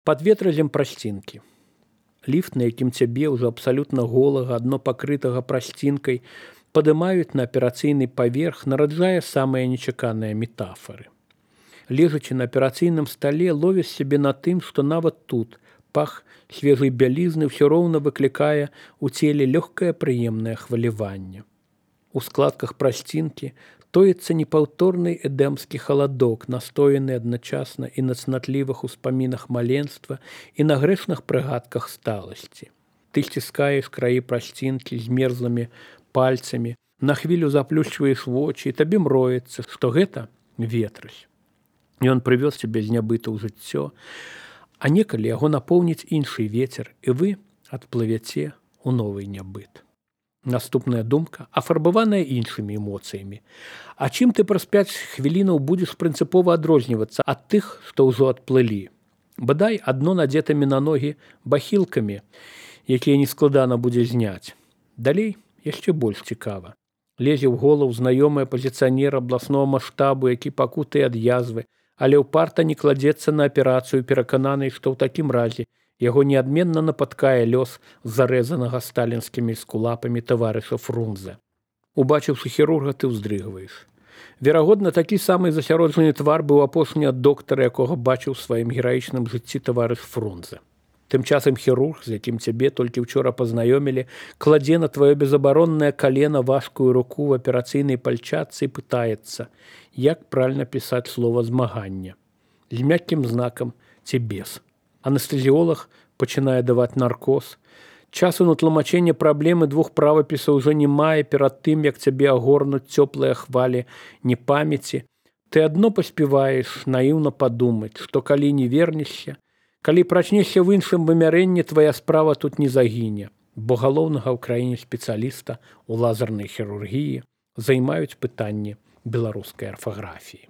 Пад ветразем прасцінкі. Ліфт, на якім цябе ўжо абсалютна голага, адно пакрытага прасцінкай, падымаюць на аперацыйны паверх, нараджае самыя нечаканыя метафары. Лежачы на аперацыйным стале, ловіш сябе на тым, што нават тут пах свежай бялізны ўсё роўна выклікае ў целе лёгкае прыемнае хваляванне. У складках прасцінкі тоіцца непаўторны эдэмскі халадок, настояны адначасна і на цнатлівых успамінах маленства і на грэшных прыгадках сталасці. Ты сціскаеш краі прасцінкі з мерзлымі пальцамі, на хвілю заплюшчваеш вочы, і табе мроецца, што гэта ветразь. Ён прывёз цябе з нябыта ў жыццё, а некалі яго напоўніць іншы вецер, і вы адплывяце ў новы нябыт. Наступная думка, афарбаваная іншымі эмоцыямі. А чым ты праз 5 хвілінаў будзеш прынцыпова адрознівацца ад тых, што ўжо адплылі? Бадай адно надзетымі на ногі бахілкамі, якія нескладана будзе зняць. Далей яшчэ больш цікава. Лезе ў голову знаёмы апазіцыянер абласнога маштабу, які пакутае ад язвы, але ўпарта не кладзецца на аперацыю, перакананы, што ў такім разе яго неадменна напаткае лёс зарэзанага сталінскімі скулапамі таварыша Фрунзе. Убачыўшы хірурга, ты ўздрыгваеш. Верагодна, такі самы засяроджаны твар быў апошні ад доктара, якога бачыў у сваім гераічным жыцці таварыш Фрунзе. Тым часам хірург, з якім цябе толькі ўчора пазнаёмілі, кладзе на тваё безабароннае калена важкую руку в аперацыйнай пальчатцы і пытаецца, як правільна пісаць слова змагання. З мяккім знакам ці без. Анестэзіолог пачынае даваць наркоз. Часу на тлумачэнне праблемы 2 правапісаў ужо не мае перад тым, як цябе агорнуць цёплыя хвалі непамяці. Ты адно паспяваеш наіўна падумаць, што калі не вернешся, калі прачнешся в іншым вымярэнні, твая справа тут не загіне, бо галоўнага ў краіне спецыяліста ў лазернай хірургіі займаюць пытанні беларускай арфаграфіі.